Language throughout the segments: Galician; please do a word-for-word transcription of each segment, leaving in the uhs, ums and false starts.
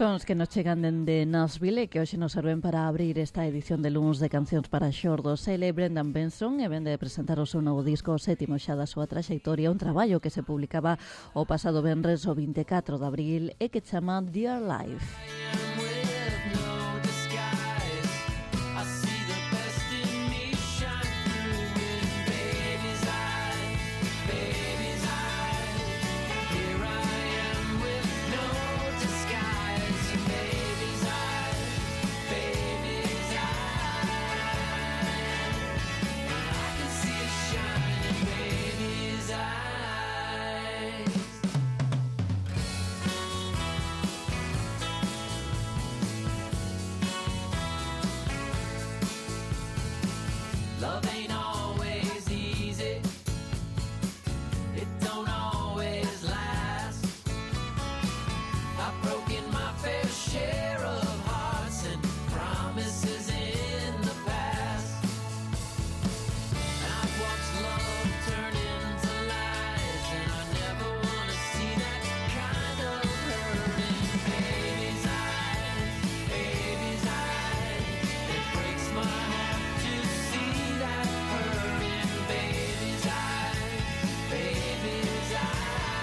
Sons que nos chegan dende Nashville e que hoxe nos serven para abrir esta edición de luns de Cancións para Xordos. Ele é Brendan Benson e vende de presentar o seu novo disco, o sétimo xa da súa traxectoria, un traballo que se publicaba o pasado venres o vinte e catro de abril e que chama Dear Life. Love ain't always easy. It don't always last. I've broken my fair share of hearts and promises in the past. And I've watched love turn into lies, and I never want to see that kind of hurting. Baby's eyes, baby's eyes, it breaks my heart to see that hurting. Baby's eyes, baby's eyes,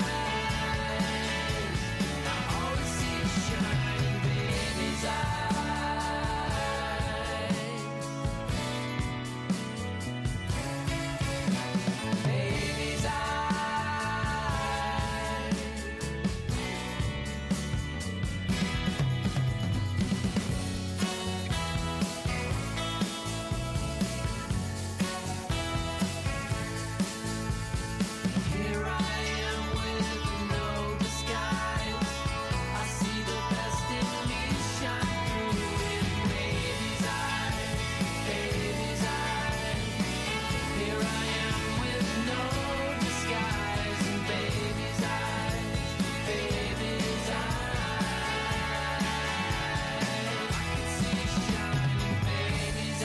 I always see it shining. Baby's eyes, baby's eyes. Here I am with no disguise. I see the best in me shine through in baby's eyes, baby's eyes. Here I am with no disguise, and baby's eyes, baby's eyes. I can see it shining, baby's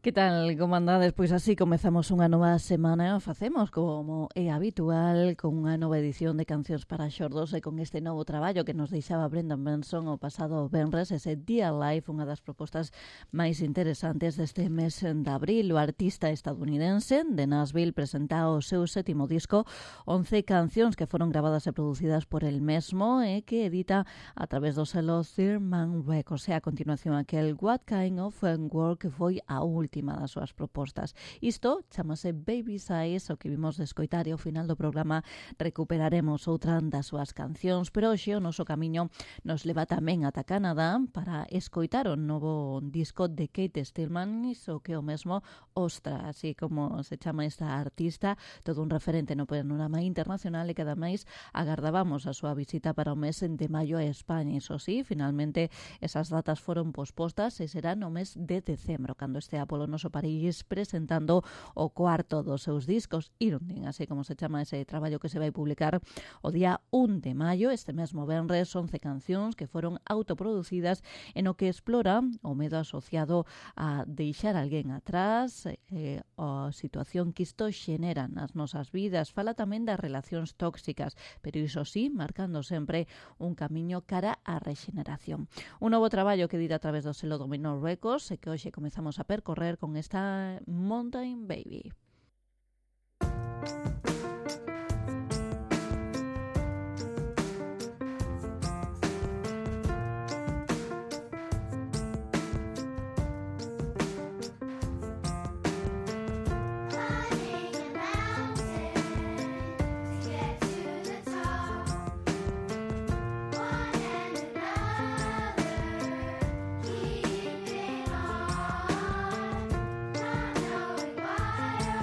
Que tal, como andades? Pois así comezamos unha nova semana e o facemos como é habitual con unha nova edición de Cancións para Xordos e con este novo traballo que nos deixaba Brendan Benson o pasado venres, ese Dear Life, unha das propostas máis interesantes deste mes de abril. O artista estadounidense de Nashville presenta o seu sétimo disco, once cancións que foron gravadas e producidas por el mesmo e que edita a través do selo Third Man Records. E a continuación aquel What Kind of Work que foi a última última das súas propostas. Isto chamase Baby's Eyes, o que vimos de escoitar, e ao final do programa recuperaremos outra das súas cancións, pero hoxe o noso camiño nos leva tamén ata Canadá para escoitar o novo disco de Kate Stillman, iso que o mesmo Ostra, así como se chama esta artista, todo un referente no panorama internacional e que ademais agardábamos a súa visita para o mes de maio a España. Iso sí, finalmente esas datas foron pospostas e será no mes de decembro, cando estea polo noso París presentando o cuarto dos seus discos, Irundin, así como se chama ese traballo que se vai publicar o día un de maio, este mesmo venres, once cancións que foron autoproducidas en o que explora o medo asociado a deixar alguén atrás, eh, a situación que isto xenera nas nosas vidas. Fala tamén das relacións tóxicas, pero iso sí, marcando sempre un camiño cara á rexeneración. Un novo traballo que dita a través do selo Domino Records e que hoxe comezamos a percorrer con esta Mountain Baby. Keeping on, not knowing why.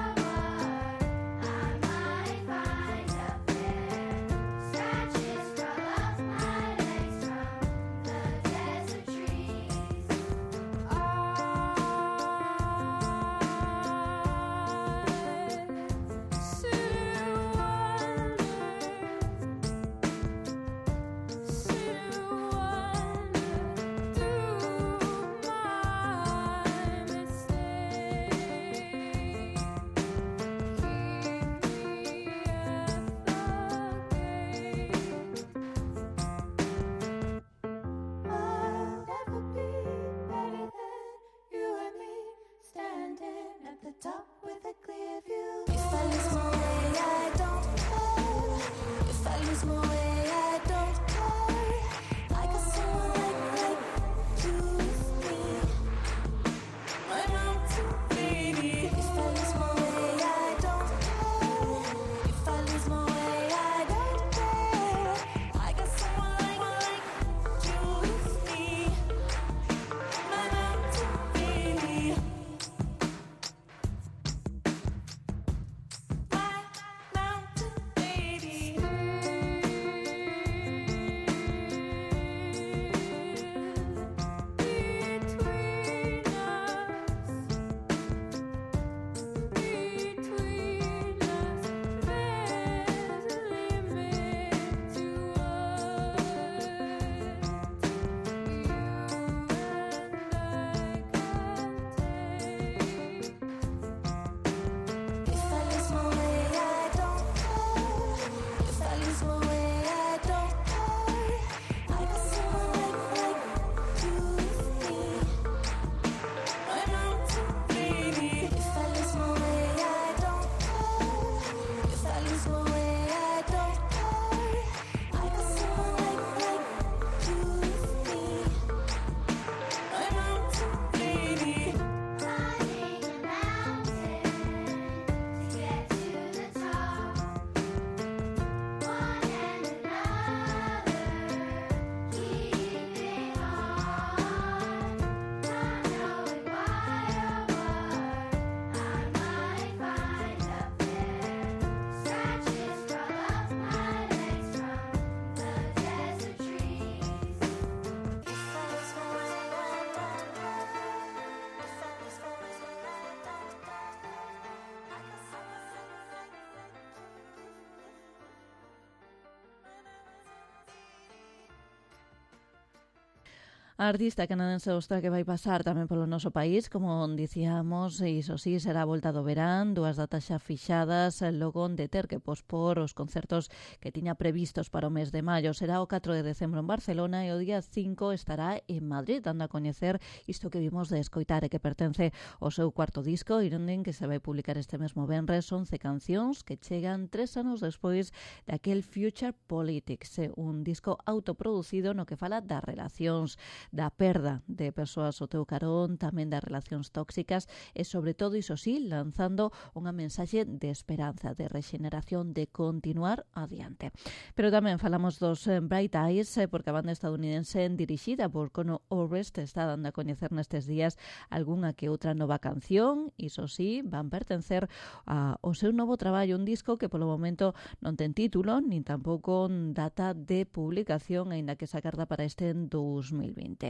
A artista canadense ostra que vai pasar tamén polo noso país, como dicíamos, e iso sí, será a volta do verán, dúas datas xa fixadas, logo de ter que pospor os concertos que tiña previstos para o mes de maio. Será o catro de decembro en Barcelona e o día cinco estará en Madrid, dando a coñecer isto que vimos de escoitar e que pertence ao seu cuarto disco, Irunding, que se vai publicar este mesmo venres, once cancións que chegan tres anos despois daquel Future Politics, un disco autoproducido no que fala das relacións, da perda de persoas ao teu carón, tamén das relacións tóxicas e, sobre todo, iso sí, lanzando unha mensaxe de esperanza, de regeneración, de continuar adiante. Pero tamén falamos dos eh, Bright Eyes, eh, porque a banda estadounidense dirixida por Conor Oberst está dando a coñecer nestes días algunha que outra nova canción, iso sí, van pertencer a, ao seu novo traballo, un disco que polo momento non ten título, nin tampouco data de publicación, aínda que se agarda para este en dos mil vinte.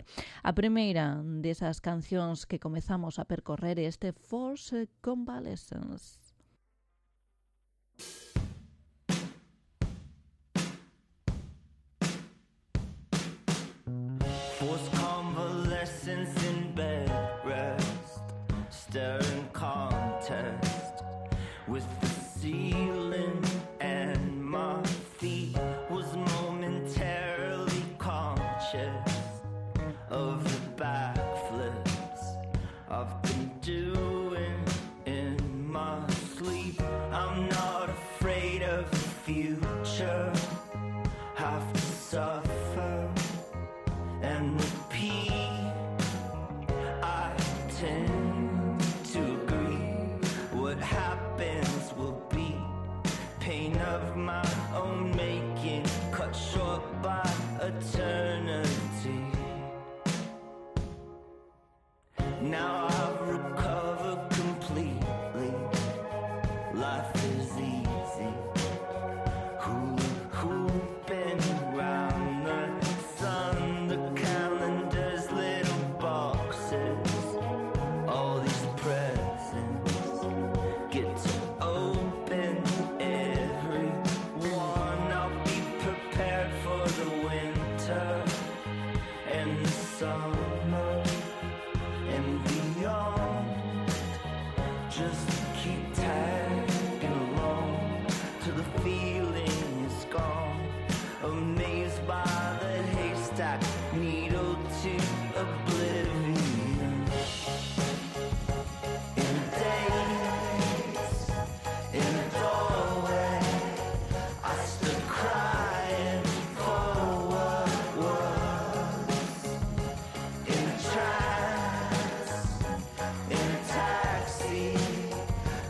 A primeira desas cancións que comezamos a percorrer é este Forced Convalescence. Forced convalescence in bed rest, staring contest with the ceiling, and my feet was momentarily conscious of the backflips I've been doing in my sleep. I'm not afraid of the future, have to suffer and repeat. I tend to agree, what happens will be pain of my own making, cut short by eternity. Now I've recovered completely, life is easy, hula hooping round the sun, the calendar's little boxes, all these presents, get to open every one. I'll be prepared for the winter and the summer and beyond. Just keep tagging along till the feeling is gone. Amazed by the haystack, needle to oblivion. In days, in a doorway, I stood crying for what was. In a trance, in a taxi,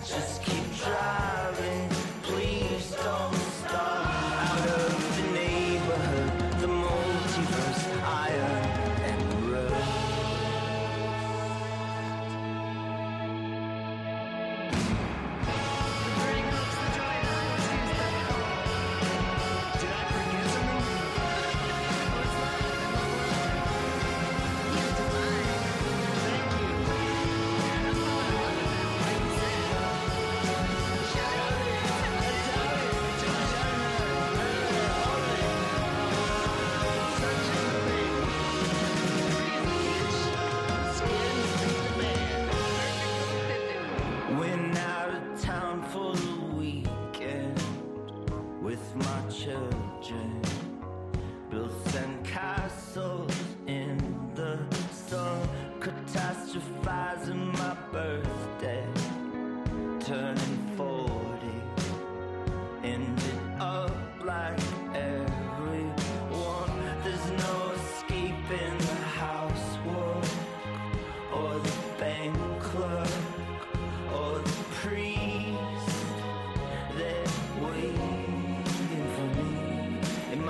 just keep driving, please don't stop. Out of the neighborhood, the multiverse, iron and rust. Went out of town for the weekend with my children. Built sandcastles in the sun, catastrophizing my birthday. Turning forty, ended up like everyone. There's no escaping the housework or the bank clerk or the priest. They're waiting for me in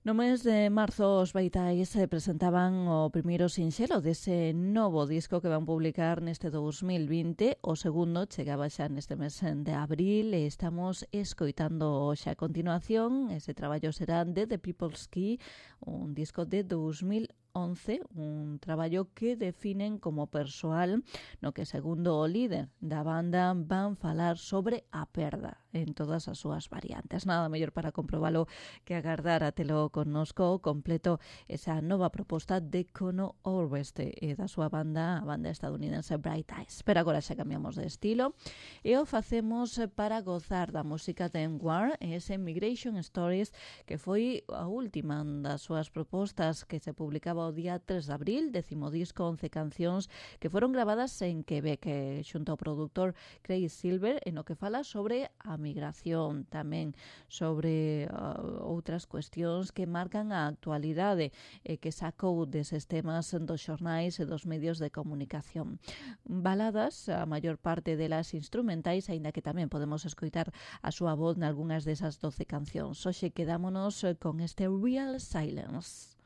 No mes de marzo os Baitais eh, presentaban o primeiro sinxelo dese novo disco que van publicar neste dous mil vinte. O segundo chegaba xa neste mes de abril e estamos escoitando xa a continuación. Ese traballo será de The People's Key, un disco de dous mil once, un traballo que definen como persoal, no que segundo o líder da banda van falar sobre a perda en todas as súas variantes. Nada mellor para comprobalo que agardar a telo connosco completo esa nova proposta de Conor Oberst e da súa banda, a banda estadounidense Bright Eyes. Pero agora xa cambiamos de estilo e o facemos para gozar da música de War e ese Migration Stories, que foi a última das súas propostas que se publicaba o día tres de abril, décimo disco, once cancións que foron gravadas en Quebec xunto ao produtor Craig Silver, en o que fala sobre a migración, tamén sobre uh, outras cuestións que marcan a actualidade e que sacou deses temas dos xornais e dos medios de comunicación. Baladas, a maior parte delas instrumentais, aínda que tamén podemos escoitar a súa voz nalgúnas desas doce cancións. Hoxe quedámonos con este Real Silence.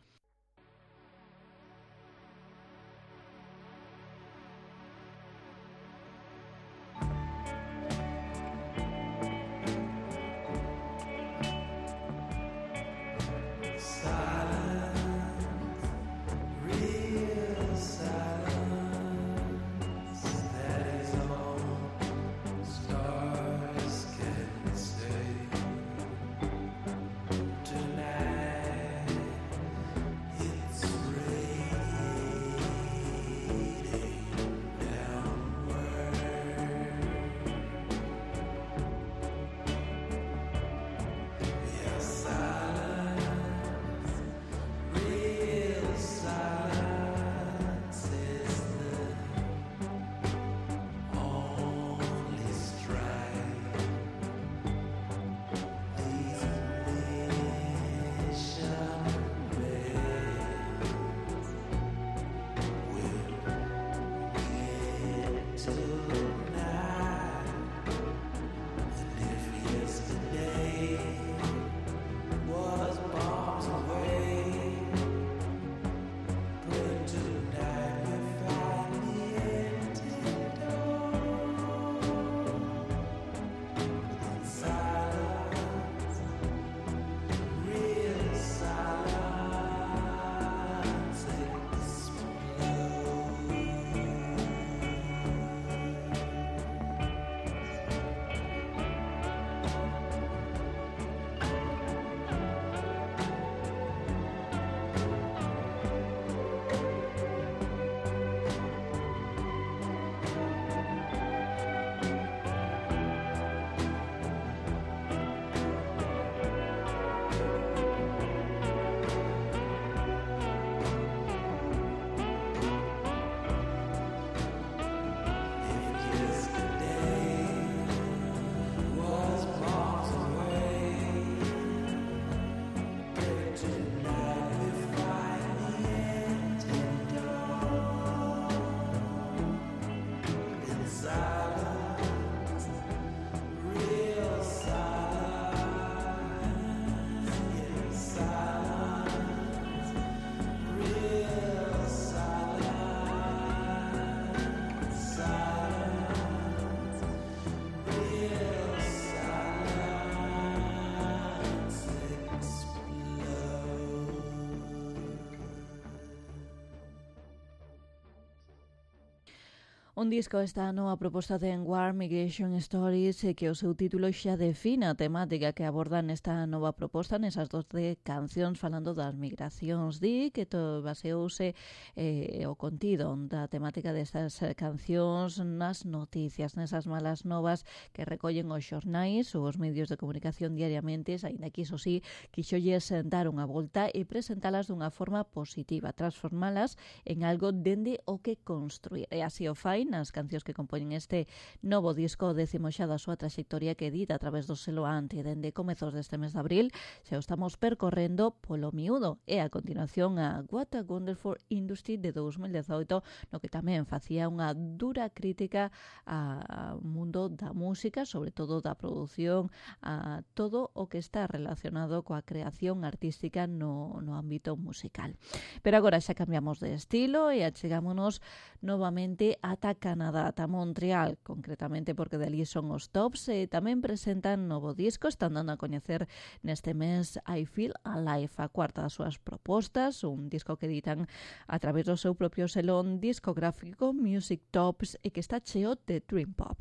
Un disco esta nova proposta de War Migration Stories e que o seu título xa define a temática que aborda nesta nova proposta, nesas doce cancións falando das migracións. Di que to baseouse eh, o contido da temática destas cancións nas noticias, nesas malas novas que recollen os xornais ou os medios de comunicación diariamente, aínda que iso sí, quixolles dar unha volta e presentalas dunha forma positiva, transformalas en algo dende o que construir. E así o fai nas cancións que compoñen este novo disco, décimo xa da súa traxectoria, que edita a través do selo Anti dende comezos deste mes de abril. Xa o estamos percorrendo polo miúdo, e a continuación a What a Wonderful Industry de dous mil dezoito, no que tamén facía unha dura crítica ao mundo da música, sobre todo da produción, a todo o que está relacionado coa creación artística no, no ámbito musical. Pero agora xa cambiamos de estilo e achegámonos novamente ata Canadá, ata Montreal, concretamente porque dali son os Tops, e tamén presentan novo disco, están dando a coñecer neste mes I Feel Alive, a cuarta das súas propostas, un disco que editan a través do seu propio selón discográfico Music Tops e que está cheo de Dream Pop.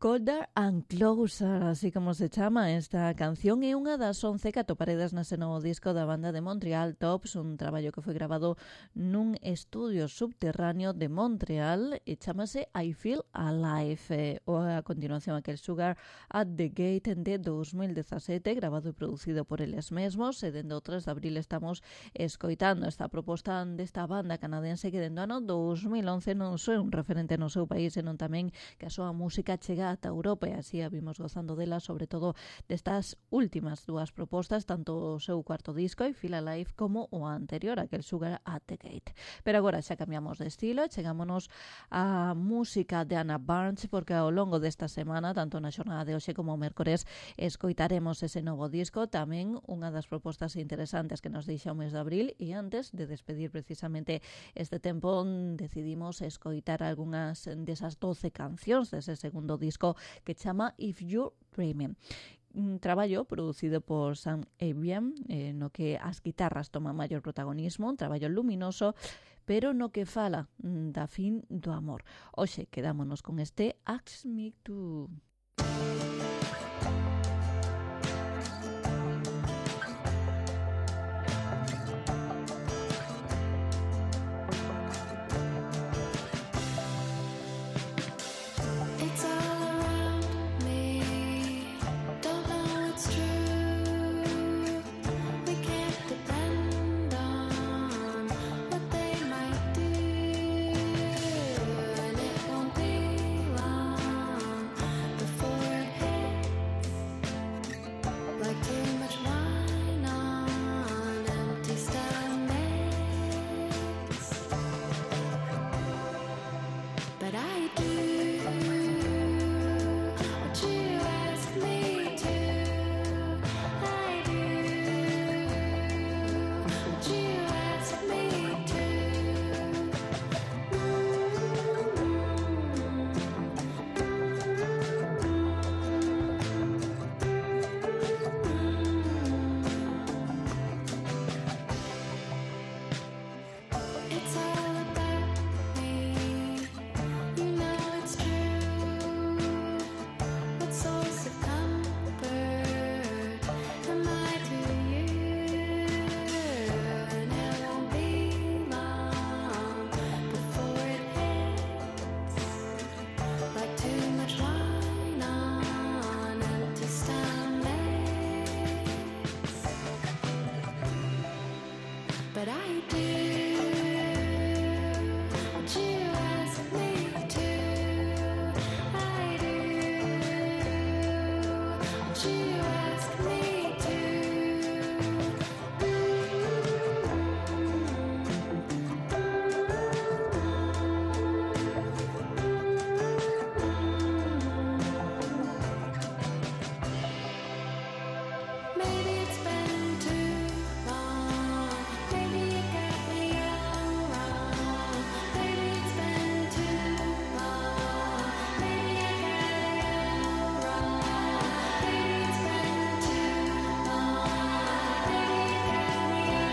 Colder and Closer, así como se chama esta canción, é unha das once que atoparedes nese novo disco da banda de Montreal Tops, un traballo que foi grabado nun estudio subterráneo de Montreal e chamase I Feel Alive, eh, ou a continuación aquel Sugar at the Gate de dous mil dezasete, grabado e producido por eles mesmos, e dende o tres de abril estamos escoitando esta proposta desta banda canadense que dende o ano dous mil once non só é un referente no seu país, senón tamén que a súa música chega ata Europa, e así a vimos gozando dela, sobre todo destas últimas dúas propostas, tanto o seu cuarto disco, I Feel Alive, como o anterior, aquel Sugar at the Gate. Pero agora xa cambiamos de estilo, chegámonos á música de Anna Barnes, porque ao longo desta semana, tanto na xornada de hoxe como o mércores, escoitaremos ese novo disco, tamén unha das propostas interesantes que nos deixa o mes de abril, e antes de despedir precisamente este tempo, decidimos escoitar algunhas desas doce cancións dese segundo disco que chama If You're Dreaming. un traballo producido por Sam Avian, eh, no que as guitarras toman maior protagonismo, un traballo luminoso, pero no que fala mm, da fin do amor. Hoxe quedámonos con este Ask Me To. It's all around me. Don't know it's true. We can't depend on what they might do, and it won't be long before it hits. Like too much wine on empty stomachs. But I do. What you ask me to, I do. What you ask me to. It's all about me. You know it's true. What source of comfort am I to you? And it won't be long before it hits. Like too much wine on empty stomachs. But I do. What you ask me to, I do. What you ask me to. Maybe it's been too long. Maybe you got me all wrong. Maybe it's been too long. Maybe I got it all wrong. Maybe it's been too long. Maybe you got me all wrong.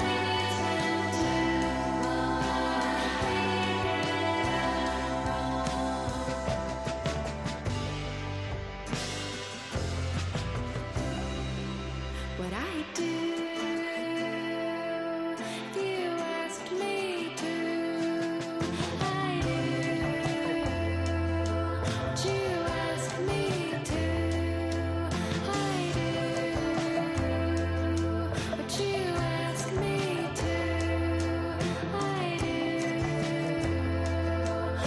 Maybe it's been too long. Maybe you what I do, you asked me to, I do. What you asked me to, I do. What you asked me to, I do.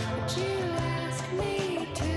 What you asked me to.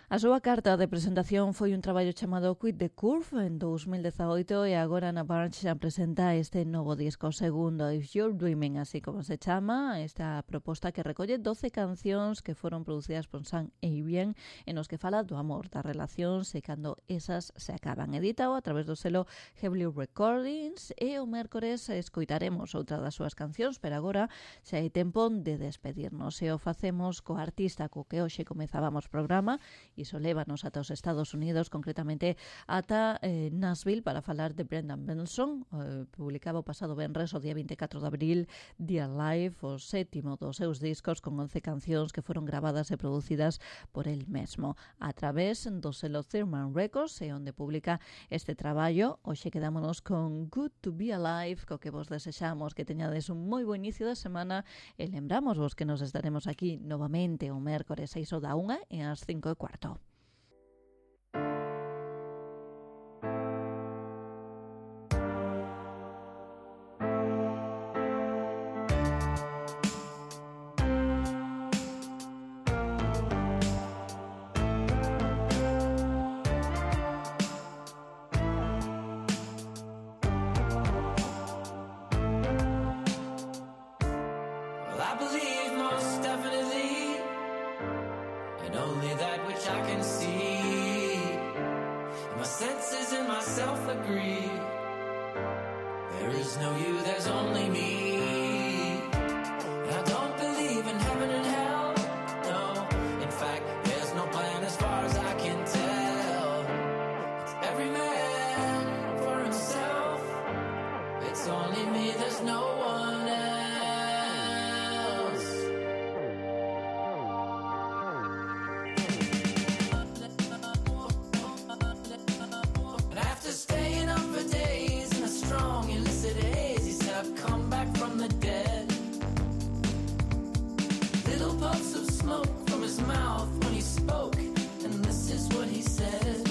A súa carta de presentación foi un traballo chamado Quit the Curve en dous mil dezaoito e agora na Barnes xa presenta este novo disco segundo, If You're Dreaming, así como se chama, esta proposta que recolle doce cancións que foron producidas por Sam Avian e nos que fala do amor, das relacións e cando esas se acaban. Editado a través do selo Heavily Recordings e o mércores escoitaremos outra das súas cancións, pero agora xa hai tempo de despedirnos e o facemos co artista co que hoxe comezábamos programa. Iso lévanos ata os Estados Unidos, concretamente ata eh, Nashville, para falar de Brendan Benson. Eh, publicaba o pasado venres, o día vinte e catro de abril, The Alive, o sétimo dos seus discos, con once cancións que foron gravadas e producidas por el mesmo a través do selo Thurman Records, e onde publica este traballo. Hoxe quedámonos con Good to be Alive, co que vos desexamos que teñades un moi bo inicio de semana e lembramos vos que nos estaremos aquí novamente o mércores seis da unha e ás cinco e cuarto. believe most definitely in only that which I can see. My senses and myself agree. There is no you, there's only me. And I don't believe in heaven and hell. No, in fact, there's no plan as far as I can tell. It's every man for himself. It's only me, there's no one else. And after staying up for days in a strong illicit haze, he said I've come back from the dead. Little puffs of smoke from his mouth when he spoke, and this is what he said.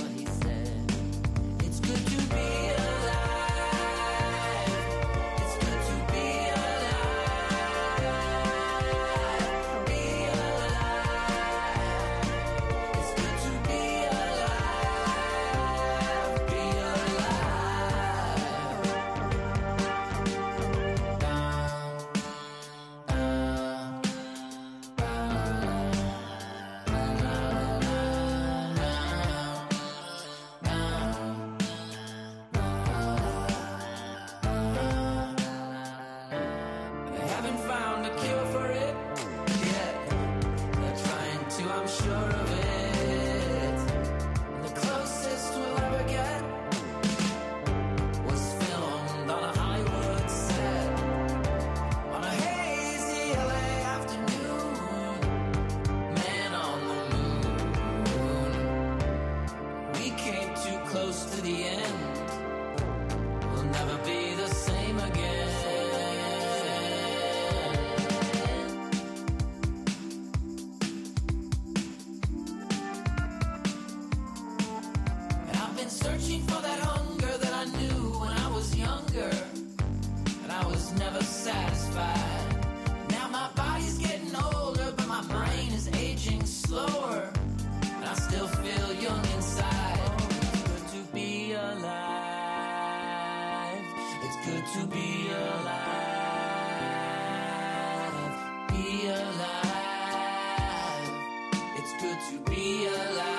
It's good to be alive. It's good to be alive. Be alive. It's good to be alive. Be alive. They haven't found a cure for it yet. They're trying to, I'm sure of it. And the closest we'll ever get was filmed on a Hollywood set on a hazy L A afternoon. Man on the moon. We came too close to the end. We'll never be the same again. And I've been searching for that hunger that I knew when I was younger, and I was never satisfied. Now my body's getting older, but my brain is aging slower, and I still feel young inside. It's good to be alive. It's good to be alive. Be alive. It's good to be alive.